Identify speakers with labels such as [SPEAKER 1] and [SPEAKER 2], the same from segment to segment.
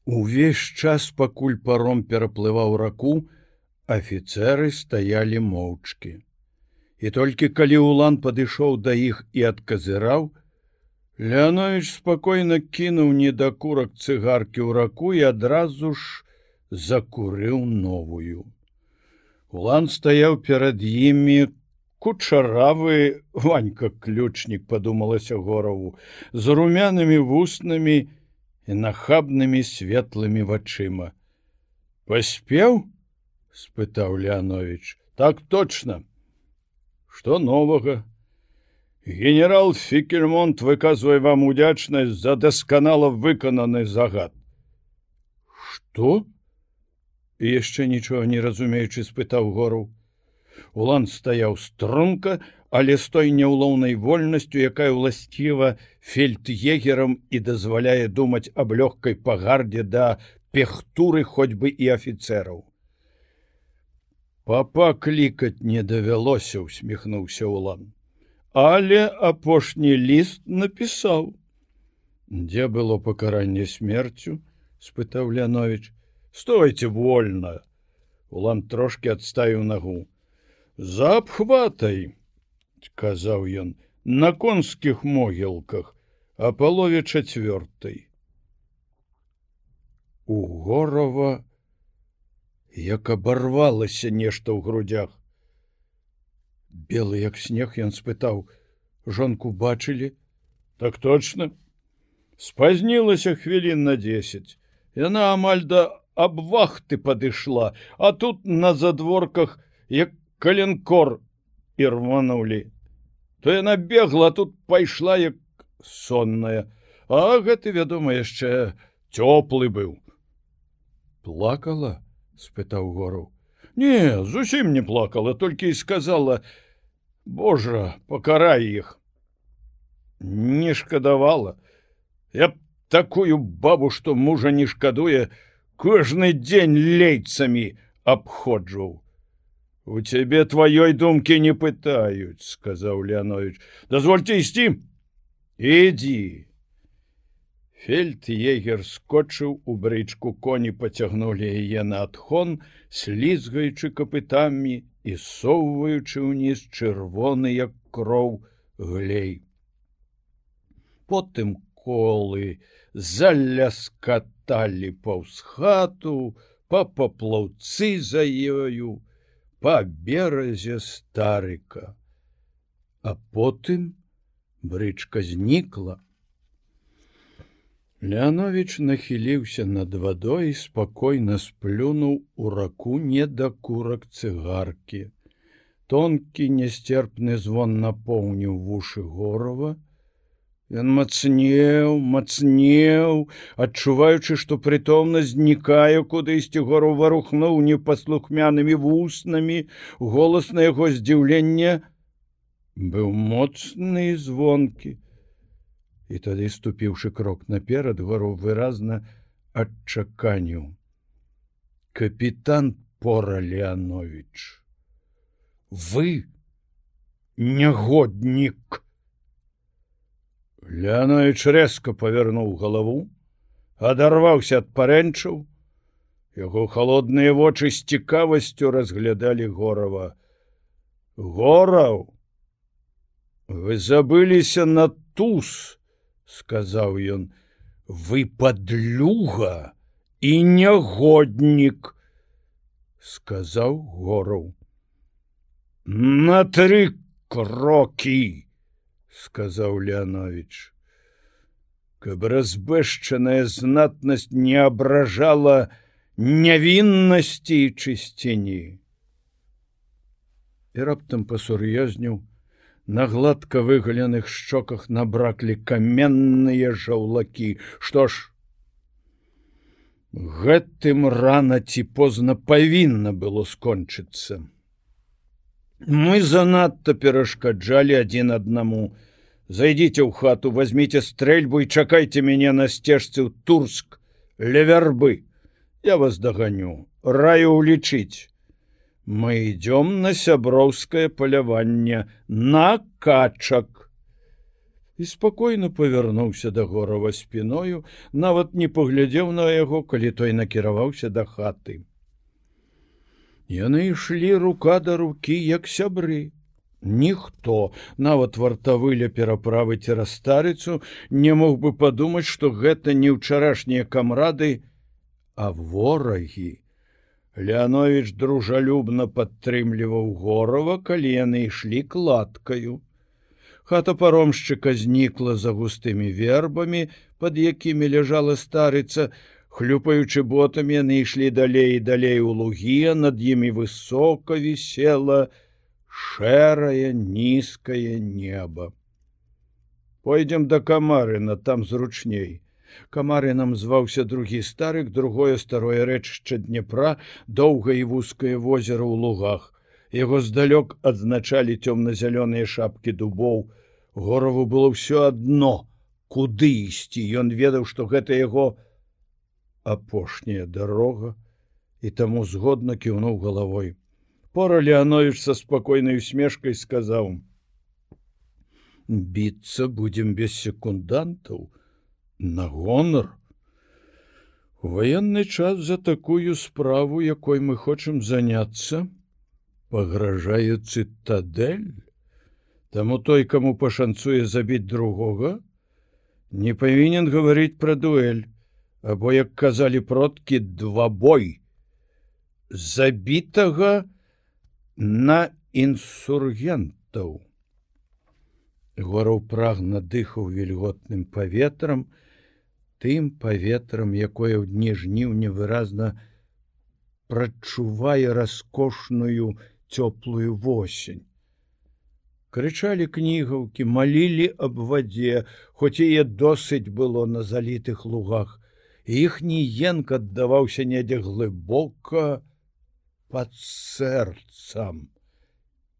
[SPEAKER 1] Увесь час, пакуль паром пераплываў раку, афіцэры стаялі моўчкі. І толькі калі Улан падышоў да іх і адказыраў, Леанович спакойна кінуў недакурак цыгаркі ў раку і адразу ж закурыў новую. Улан стаяў перад імі, кучаравы Ванька-ключнік, падумалася Гораву, з румянымі вуснамі і нахабнымі светлымі вачыма. «Паспеў?» – спытаў Леанович. «Так точно. Што новага? Генерал Фікельмонт выказвае вам удзячнасць за дасканала выкананы загад». «Што?» – і яшчэ нічога не разумеючы спытаў Гораў. Улан стаяў струнка, але з той няўлоўнай вольнасцю, якая ўласціва фельд'егерам і дазваляе думаць аб лёгкай пагардзе да пехтуры хоць бы і афіцэраў. «Папа клікаць не давялося», — усміхнуўся Улан. «Але апошні ліст напісаў». «Дзе было пакаранне смерцю?» — спытаў Леанович. «Стойце вольна!» Улан трошки адставіў нагу. «За абхватай», — казаў ён, — «на конскіх могілках, а палове 4-й». У Горава як абарвалася нешта ў грудях. Белы як снег, ён спытаў: «Жонку бачылі?» «Так точно. Спазнілася хвілін на 10. Яна амаль да абвахты падышла, а тут на задворках як каленкор ірванулі. То яна бегла, а тут пайшла як сонная. А гэты, вядома, яшчэ цёплы быў». «Плакала?» — спытаў Гораў. «Не, зусім не плакала, толькі і сказала: Божа, пакарай іх». «Не шкадавала. Я б такую бабу, што мужа не шкадуе, кожны дзень лейцамі абходжваў». «У цябе тваёй думкі не пытаюць», — сказаў Леанович. «Дазвольце ісці?» «Ідзі». Фельд'егер скочыў у брычку, коні пацягнулі яе на адхон, слізгаючы капытамі і соўваючы ўніз чырвоны, як кроў, глей. Потым колы заляскаталі паўз хату, па паплаўцы за ёю, па беразе Старыка. А потым брычка знікла. Леанович нахіліўся над вадой і спакойна сплюнуў у раку недакурак цыгаркі. Тонкі нясцерпны звон напоўніў вушы Горава. Ён мацнеў, адчуваючы, што прытомнасць знікае кудысьці. Гораў варухнуў непаслухмянымі вуснамі. Голас на яго здзіўленне быў моцны і звонкі. І тады, ступіўшы крок наперад, Гораў выразна адчаканіў: «Капітан Пора Леанович, вы нягоднік!» Леанович рэзка павярнуў галаву, адарваўся ад парэнчаў. Яго халодныя вочы з цікавасцю разглядалі Горава. «Гораў, вы забыліся на туз», — сказаў ён. «Вы падлюга і нягоднік», — сказаў Гораў. «На 3 крокі», — сказаў Леанович. Каб разбэшчаная знатнасць не абражала нявіннасці і чысціні. І раптам пасур'ёзніў. На гладка выгаленых шчоках набраклі каменныя жаўлакі. Што ж, гэтым рана ці позна павінна было скончыцца. Мы занадта перашкаджалі адзін аднаму. Зайдзіце ў хату, возьміце стрэльбу і чакайце мяне на сцежцы ў Турск, ля вярбы. Я вас даганю, раю улічыць. Мы идем на сяброўскае паляванне, на качак. і спакойна павярнуўся да Горава спіною, нават не паглядзеў на яго, калі той накіраваўся да хаты. Яны ішлі рука да рукі, як сябры. Ніхто, нават вартавы ля пераправы цераз старыцу, не мог бы падумаць, што гэта не ўчарашнія камрады, а ворагі. Леановіч дружалюбна падтрымліваў Горава, калі яны ішлі кладкаю. Хата паромшчыка знікла за густымі вербамі, пад якімі ляжала старыца. Хлюпаючы ботамі, яны ішлі далей і далей у лугі, а над імі высока вісела шэрае нізкае неба. Пойдзем да Камарына, там зручней. Камарынам зваўся другі старык, другое старое рэчышча Днепра, доўгае і вузкае возера ў лугах. Яго здалёк адзначалі цёмна-зялёныя шапкі дубоў. Гораву было ўсё адно, куды ісці. Ён ведаў, што гэта яго апошняя дарога, і таму згодна кіўнуў галавой. Пора Леановіч са спакойнай усмешкай сказаў: «Біцца будзем без секундантаў, на гонар. У ваенны час за такую справу, якой мы хочам заняцца, пагражае цытадэль. Таму той, каму пашанцуе забіць другога, не павінен гаварыць пра дуэль, або, як казалі продкі, двабой. Забітага на інсургентаў». Гораў прагна дыхаў вільготным паветрам, тым паветрам, якое ў дні жніўня выразна прачувае раскошную цёплую восень. Крычалі кнігаўкі, малілі аб вадзе, хоць яе досыць было на залітых лугах. Іхні енк аддаваўся недзе глыбока пад сэрцам.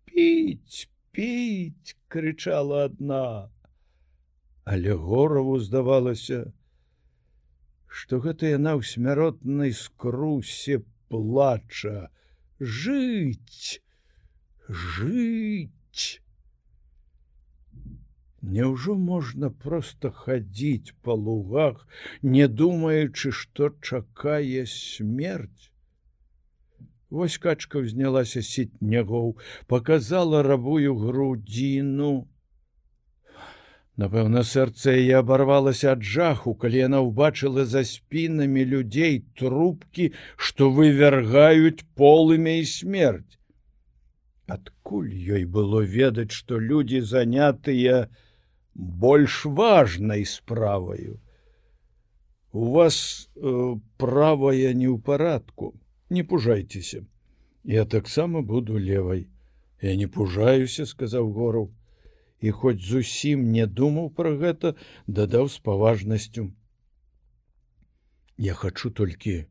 [SPEAKER 1] «Піць, піць!» — крычала адна. Але Гораву здавалася, што гэта яна ў смяротнай скрусе плача. «Жыць! Жыць!» Няўжо можна проста хадзіць па лугах, не думаючы, што чакае смерць? Вось качка ўзнялася з сітнягоў, паказала рабую грудзіну. Напэўна, сэрца яе абарвалася ад жаху, калі яна ўбачыла за спінамі людзей трубкі, што вывяргаюць полымя і смерць. Адкуль ёй было ведаць, што людзі занятыя больш важнай справаю? У вас правая не ў парадку. Не пужайцеся. Я таксама буду левай. Я не пужаюся, сказаў Гораў. І хоць зусім не думаў пра гэта, дадаў з паважнасцю: «Я хачу толькі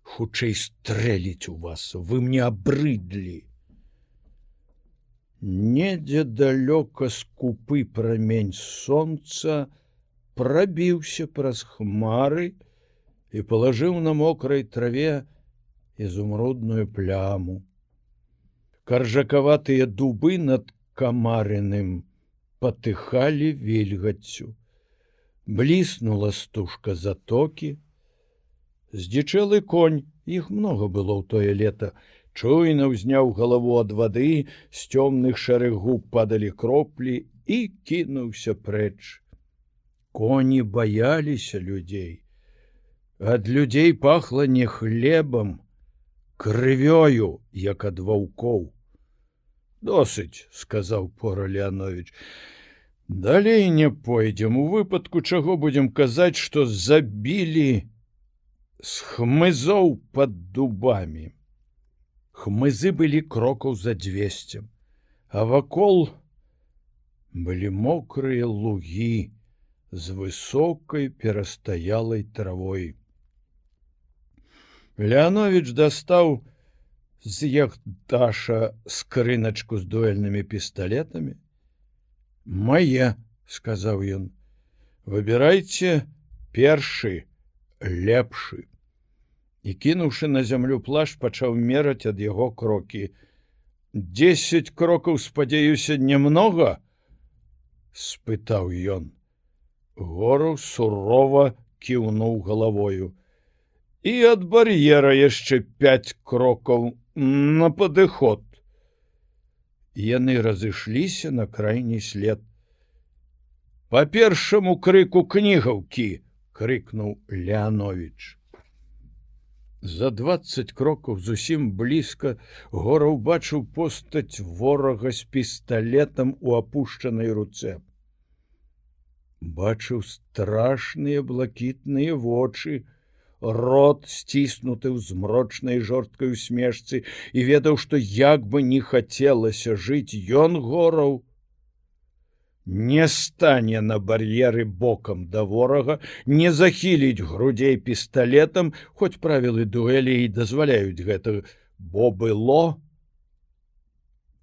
[SPEAKER 1] хутчэй стрэліць у вас. Вы мне абрыдлі». Недзе далёка скупы прамень сонца прабіўся праз хмары і палажыў на мокрай траве ізумрудную пляму. Каржакаватыя дубы над Камарыным патыхалі вільгаццю. Бліснула стужка затокі. Здзічэлы конь, іх многа было ў тое лета, чуйна ўзняў галаву ад вады, з цёмных шэрых губ падалі кроплі і кінуўся прэч. Коні баяліся людзей. Ад людзей пахла не хлебам, крывёю, як ад ваўкоў. «Досыць», — сказаў пора Леановіч. «Далей не пойдзем. У выпадку чаго будзем казаць, што забілі з хмызоў пад дубамі». Хмызы былі крокаў за 200, а вакол былі мокрыя лугі з высокай перастаялай травой. Леановіч дастаў з яхташа скрыначку з дуэльнымі пісталетамі. «Мае», — сказаў ён, — «выбірайце першы, лепшы». І, кінуўшы на зямлю плашч, пачаў мераць ад яго крокі. 10 крокаў, спадзяюся, немнога? — спытаў ён. Гораў сурова кіўнуў галавою. І ад бар'ера яшчэ 5 крокаў на падыход. Яны разышліся на крайні след. Па першаму крыку кнігаўкі, — крыкнуў Леанович. За 20 крокаў зусім блізка Гораў бачыў постаць ворага з пісталетам у апушчанай руцэ. Бачыў страшныя блакітныя вочы, рот сціснуты ў змрочнай жорсткай усмешцы, і ведаў, што як бы не хацелася жыць, ён, Гораў, не стане на бар'еры бокам да ворага, не захіліць грудзей пісталетам, хоць правілы дуэлі і дазваляюць гэта, бо было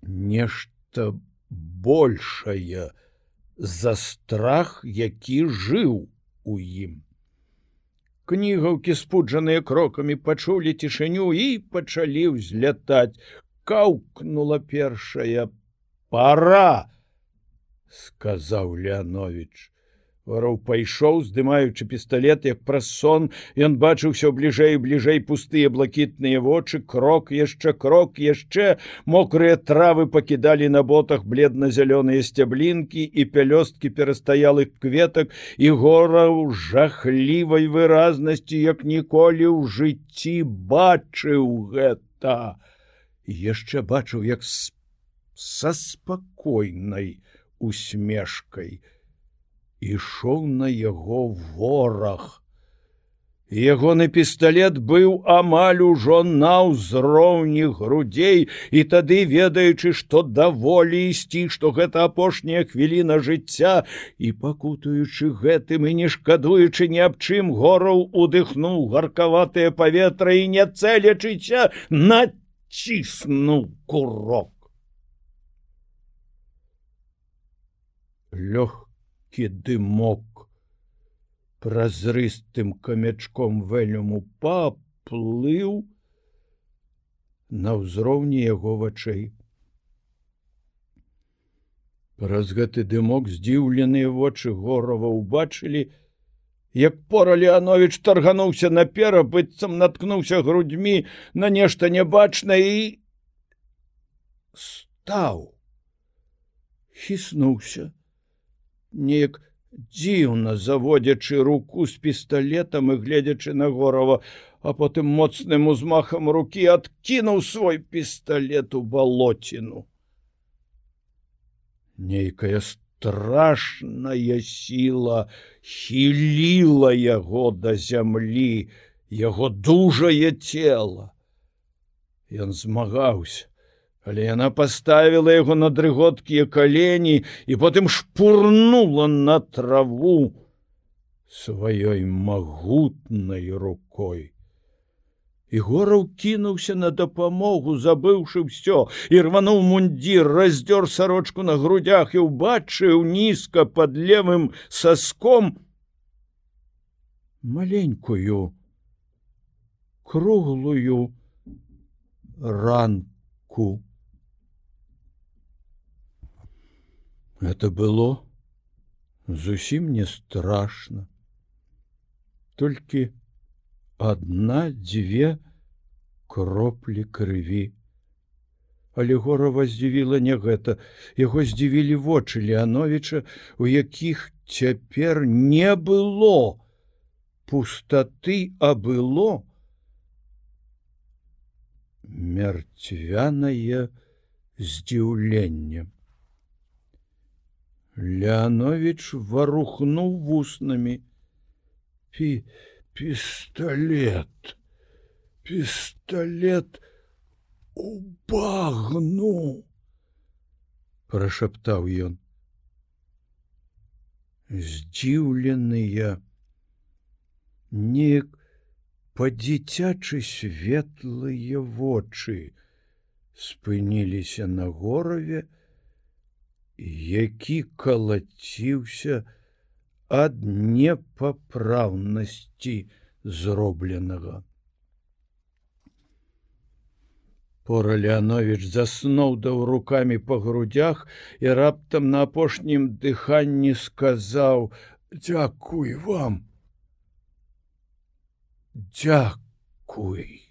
[SPEAKER 1] нешта большае за страх, які жыў у ім. Кнігаўкі, спуджаныя крокамі, пачулі цішыню і пачалі ўзлятаць. Каўкнула першая. «Пара!» — сказаў Леанович. Вараў пайшоў, здымаючы пісталет, як праз сон. Ён бачыў усё бліжэй і бліжэй пустыя блакітныя вочы, крок, яшчэ. Мокрыя травы пакідалі на ботах бледна-зялёныя сцяблінкі і пялёсткі перастаялых кветак, і Гораў жахлівай выразнасці, як ніколі ў жыцці бачыў гэта. Яшчэ бачыў, як са спакойнай усмешкай ішоў на яго вораг. Ягоны пісталет быў амаль ужо на ўзроўні грудзей, і тады, ведаючы, што даволі ісці, што гэта апошняя хвіліна жыцця, і пакутуючы гэтым і не шкадуючы ні аб чым, Гораў удыхнуў гаркаватае паветра і, не цэлячыся, націснуў курок. Лёгкі дымок празрыстым камячком вэлюму паплыў на ўзроўні яго вачэй. Праз гэты дымок здзіўленыя вочы Горава ўбачылі, як пора Леанович таргануўся наперад, быццам наткнуўся грудзьмі на нешта нябачнае і стаў, хіснуўся, неяк дзіўна заводзячы руку з пісталетам і гледзячы на Горава, а потым моцным узмахам рукі адкінуў свой пісталет у балоціну. Нейкая страшная сіла хіліла яго да зямлі, яго дужае цела. Ён змагаўся, але яна паставіла яго на дрыготкія калені і потым шпурнула на траву сваёй магутнай рукой. І Гораў кінуўся на дапамогу, забыўшы ўсё, і рвануў мундзір, раздзёр сарочку на грудях і ўбачыў нізка пад левым саском маленькую, круглую ранку. Это было зусім не страшна. Толькі 1-2 кроплі крыві. Але Горава здзівіла не гэта. Яго здзівілі вочы Леановича, у якіх цяпер не было пустаты, а было мертвянае здзіўленне. Леанович варухнуў вуснамі. Пісталет у багну, прашаптаў ён. Здзіўленыя, неяк па-дзіцячы светлыя вочы спыніліся на Гораве, які калаціўся ад непапраўнасці зробленага. Пора Леанович засноўдаў рукамі па грудях і раптам на апошнім дыханні сказаў: «Дзякуй вам! Дзякуй!»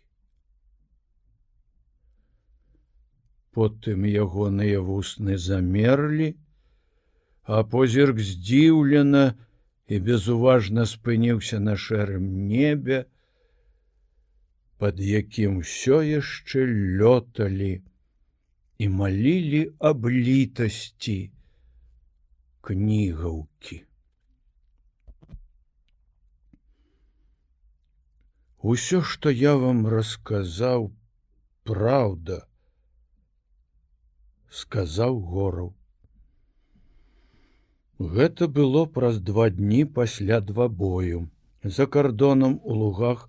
[SPEAKER 1] Потым ягоныя вусны замерлі, а позірк здзіўлена і безуважна спыніўся на шэрым небе, пад якім усё яшчэ лёталі і малілі аб літасці кнігаўкі. Усё, што я вам расказаў, праўда, сказаў Гораў. Гэта было праз 2 дні пасля двабою. За кардонам у лугах,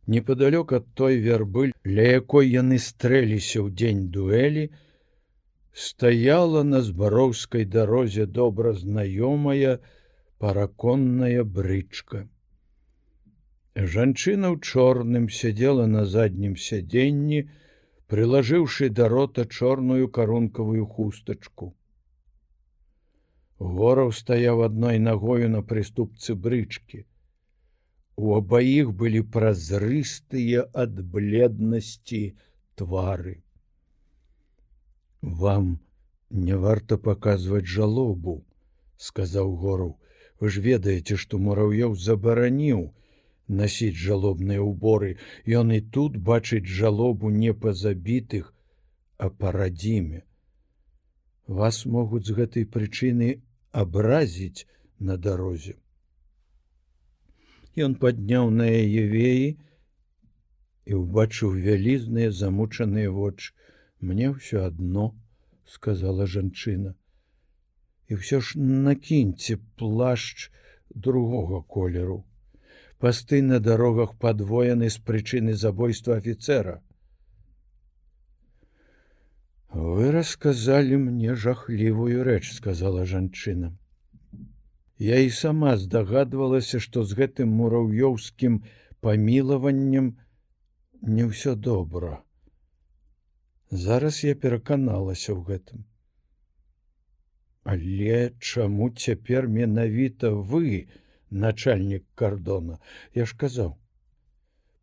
[SPEAKER 1] непадалёк ад той вярбы, ля якой яны стрэліся ў дзень дуэлі, стаяла на збароўскай дарозе добра знаёмая параконная брычка. Жанчына ў чорным сядзела на заднім сядзенні, прылажыўшы да рота чорную карункавую хустачку. Гораў стаяў адной нагою на прыступцы брычкі. У абаіх былі празрыстыя ад бледнасці твары. «Вам не варта паказваць жалобу», — сказаў Гораў. «Вы ж ведаеце, што Мураўёў забараніў насіць жалобныя ўборы. Ён і тут бачыць жалобу не па забітых, а па радзіме. Вас могуць з гэтай прычыны абразіць на дарозе». Ён падняў на яе веі і ўбачыў вялізныя замучаныя вочы. «Мне ўсё адно», — сказала жанчына. «І ўсё ж накіньце плашч другога колеру. Пасты на дарогах падвоены з прычыны забойства афіцэра». «Вы расказалі мне жахлівую рэч», — сказала жанчына. «Я і сама здагадвалася, што з гэтым мураўёўскім памілаваннем не ўсё добра. Зараз я пераканалася ў гэтым. Але чаму цяпер менавіта вы, начальнік кардона? Я ж казаў,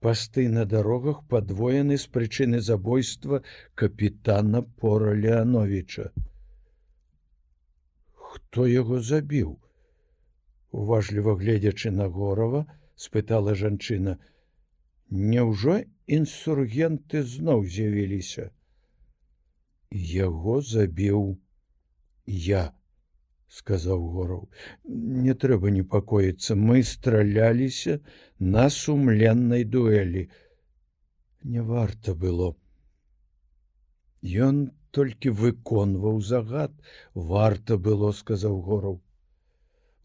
[SPEAKER 1] пасты на дарогах падвоены з прычыны забойства капітана Пора Леановича». «Хто яго забіў?» Уважліва гледзячы на Горава, спытала жанчына. «Няўжо інсургенты зноў з'явіліся?» «Яго забіў я», — сказаў Гораў. «Не трэба непакоіцца, мы страляліся на сумленнай дуэлі. Не варта было. Ён толькі выконваў загад. Варта было», — сказаў Гораў.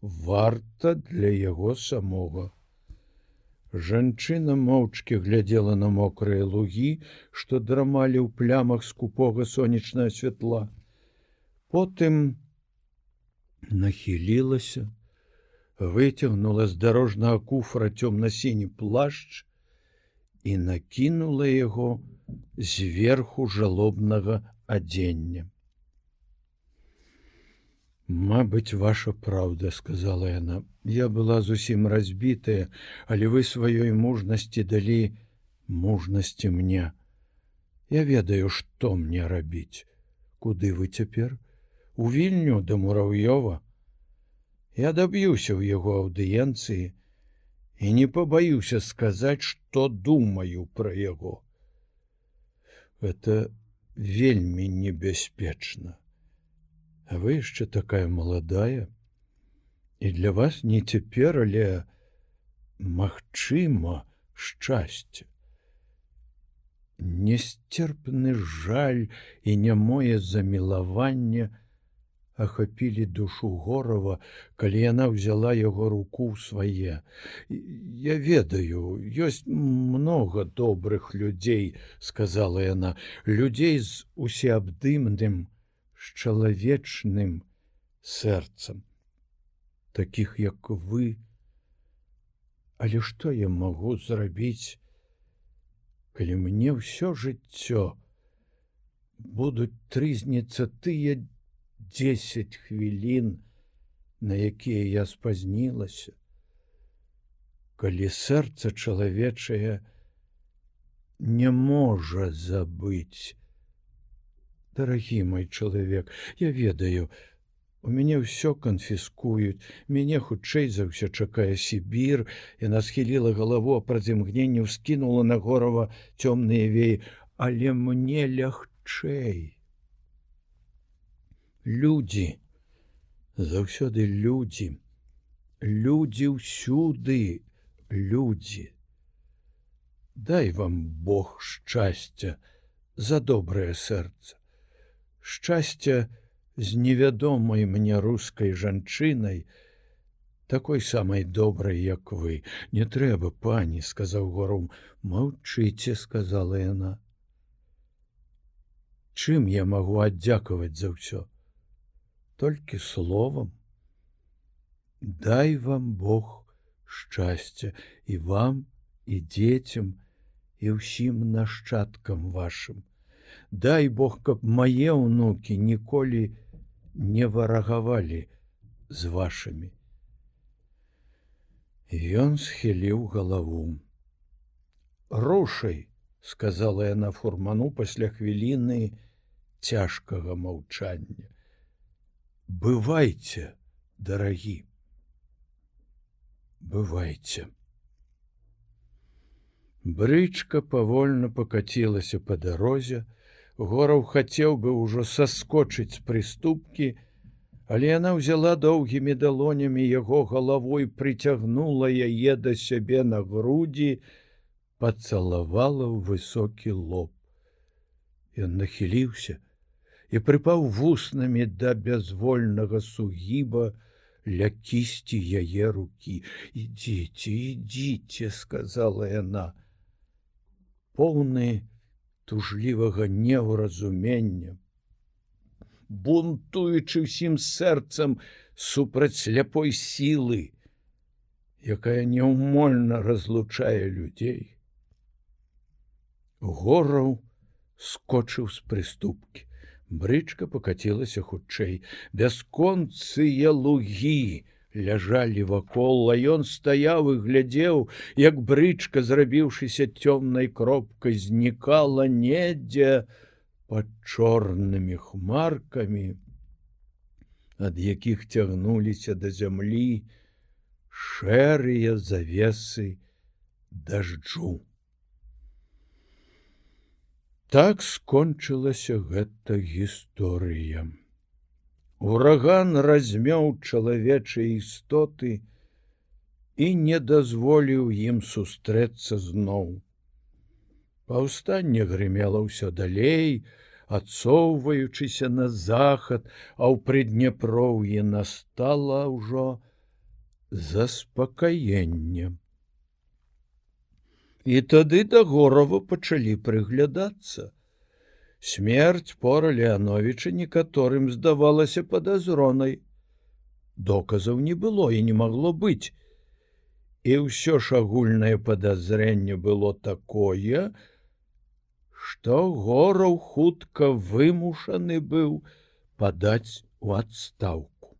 [SPEAKER 1] «Варта для яго самога». Жанчына моўчкі глядзела на мокрыя лугі, што драмалі ў плямах скупога сонечнага святла. Потым нахілілася, выцягнула з дарожнага куфра цёмна-сіні плашч і накінула яго зверху жалобнага адзення. «Мабыць, ваша праўда», — сказала яна. «Я была зусім разбітая, але вы сваёй мужнасці далі мужнасці мне. Я ведаю, што мне рабіць. Куды вы цяпер? У Вільню да Мураўёва. Я даб'юся ў яго аўдыенцыі і не пабаюся сказаць, што думаю пра яго. Гэта вельмі небяспечна. А вы яшчэ такая маладая, і для вас не цяпер, але магчыма шчасце. Несцерпны жаль і нямое замілаванне ахапілі душу Горава, калі яна ўзяла яго руку ў свае. «Я ведаю, ёсць многа добрых людзей», — сказала яна, «людзей з усеабдымным, з чалавечным сэрцам, такіх як вы. Але што я магу зрабіць, калі мне ўсё жыццё будуць трызніцца тыя 10 хвілін, на якія я спазнілася. Калі сэрца чалавечае не можа забыць. Дарагі мой чалавек, я ведаю, у мяне ўсё канфіскуюць, мяне хутчэй за ўсё чакае Сібір, яна схіліла галаву, а праз імгненне ўскінула на Горава цёмныя веі, але мне лягчэй. Людзі, заўсёды людзі, людзі ўсюды, людзі. Дай вам Бог шчасця за добрае сэрца. Шчасця з невядомай мне рускай жанчынай, такой самай добрай, як вы. Не трэба, пані, сказаў Гораў. Маўчыце, сказала яна. Чым я магу аддзякаваць за ўсё? Толькі словам. Дай вам Бог шчасця і вам, і дзецям, і ўсім нашчадкам вашым. Дай Бог, каб мае ўнукі ніколі не варагавалі з вашымі. Ён схіліў галаву. Рушай, сказала яна фурману пасля хвіліны цяжкага маўчання. Бывайце, дарагі. Бывайце. Брычка павольна пакацілася па дарозе. Гораў хацеў бы ўжо саскочыць з прыступкі, але яна ўзяла доўгімі далонямі яго галавой, прыцягнула яе да сябе на грудзі, пацалавала ў высокі лоб. Ён нахіліўся і прыпаў вуснамі да бязвольнага сугіба ля кісці яе рукі. Ідзіце, ідзіце, сказала яна. Поўны тужлівага неўразумення, бунтуючы ўсім сэрцам супраць сляпой сілы, якая няўмольна разлучае людзей. Гораў скочыў з прыступкі. Брычка пакацілася хутчэй. Бясконцыя лугі ляжалі вакол, а ён стаяў і глядзеў, як брычка, зрабіўшыся цёмнай кропкай, знікала недзе пад чорнымі хмаркамі, ад якіх цягнуліся да зямлі шэрыя завесы дажджу. Так скончылася гэта гісторыя. Ураган размёў чалавечыя істоты і не дазволіў ім сустрэцца зноў. Паўстанне грымела ўсё далей, адсоўваючыся на захад, а ў Прыдняпроўі настала ўжо заспакаенне. І тады да Горава пачалі прыглядацца. Смерць пора Леановіча некаторым здавалася падазронай. Доказаў не было і не магло быць. І ўсё ж агульнае падазрэнне было такое, што Гораў хутка вымушаны быў падаць у адстаўку.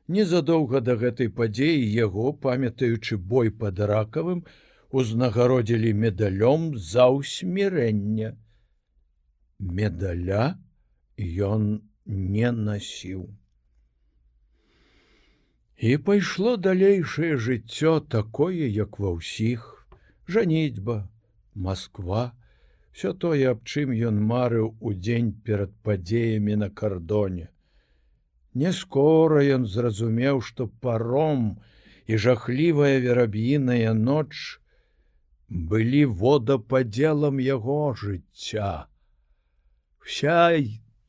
[SPEAKER 1] Незадоўга да гэтай падзеі яго, памятаючы бой пад Ракавым, узнагародзілі медалём за ўсмірэнне. Медаля ён не насіў. І пайшло далейшае жыццё такое, як ва ўсіх. Жаніцьба, Масква, всё тое, аб чым ён марыў у дзень перад падзеямі на кардоне. Не скора ён зразумеў, што паром і жахлівая вераб'іная ноч былі водападзелам яго жыцця. Вся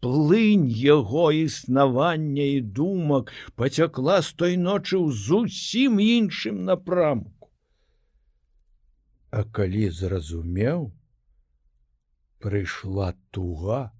[SPEAKER 1] плынь яго існавання і думак пацякла з той ночы ў зусім іншым напрамку. А калі зразумеў, прыйшла туга.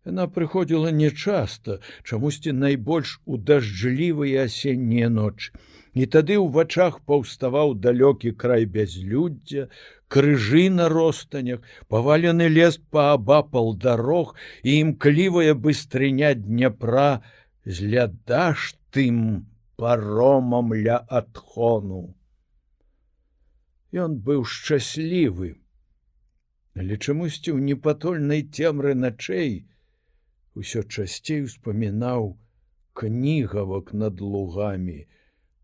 [SPEAKER 1] Яна прыходзіла нечаста, чамусьці найбольш у дажджлівыя асеннія ночы. І тады ў вачах паўставаў далёкі край бязлюддзя, крыжы на ростанях, павалены лес паабапал дарог і імклівая быстрыня Дняпра з лядашчым паромам ля адхону. Ён быў шчаслівы, але чамусьці ў непатольнай цемры начэй усё часцей успамінаў кнігавак над лугамі,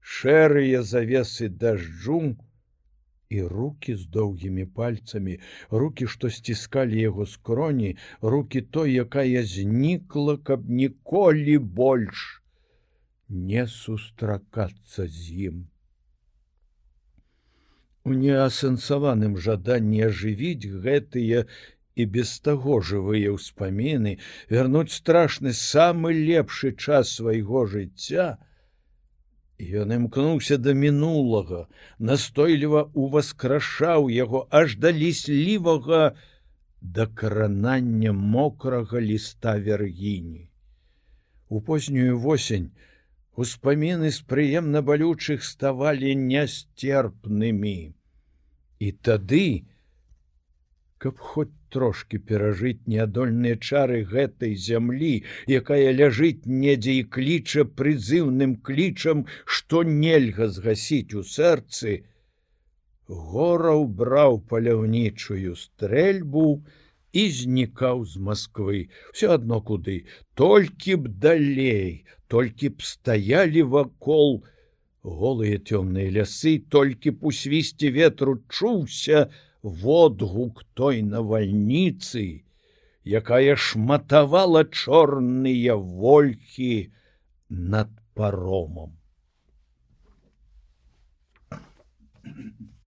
[SPEAKER 1] шэрыя завесы дажджу і рукі з доўгімі пальцамі, рукі, што сціскалі яго скроні, рукі той, якая знікла, каб ніколі больш не сустракацца з ім. У неасэнсаваным жаданні ажывіць гэтыя і без таго жывыя ўспаміны, вярнуць страшны самы лепшы час свайго жыцця, ён імкнуўся да мінулага, настойліва уваскрашаў яго аж да ліслівага дакранання мокрага ліста вяргіні. У познюю восень успаміны з прыемна балючых ставалі нясцерпнымі. І тады, каб хоць трошки перажыць неадольныя чары гэтай зямлі, якая ляжыць недзе і кліча прызыўным клічам, што нельга згасіць у сэрцы, Гораў браў паляўнічую стрэльбу і знікаў з Масквы. Всё адно куды, толькі б далей, толькі б стаялі вакол голыя цёмныя лясы, толькі б у свісце ветру чуўся водгук той навальніцы, якая шматавала чорныя вольхі над паромам.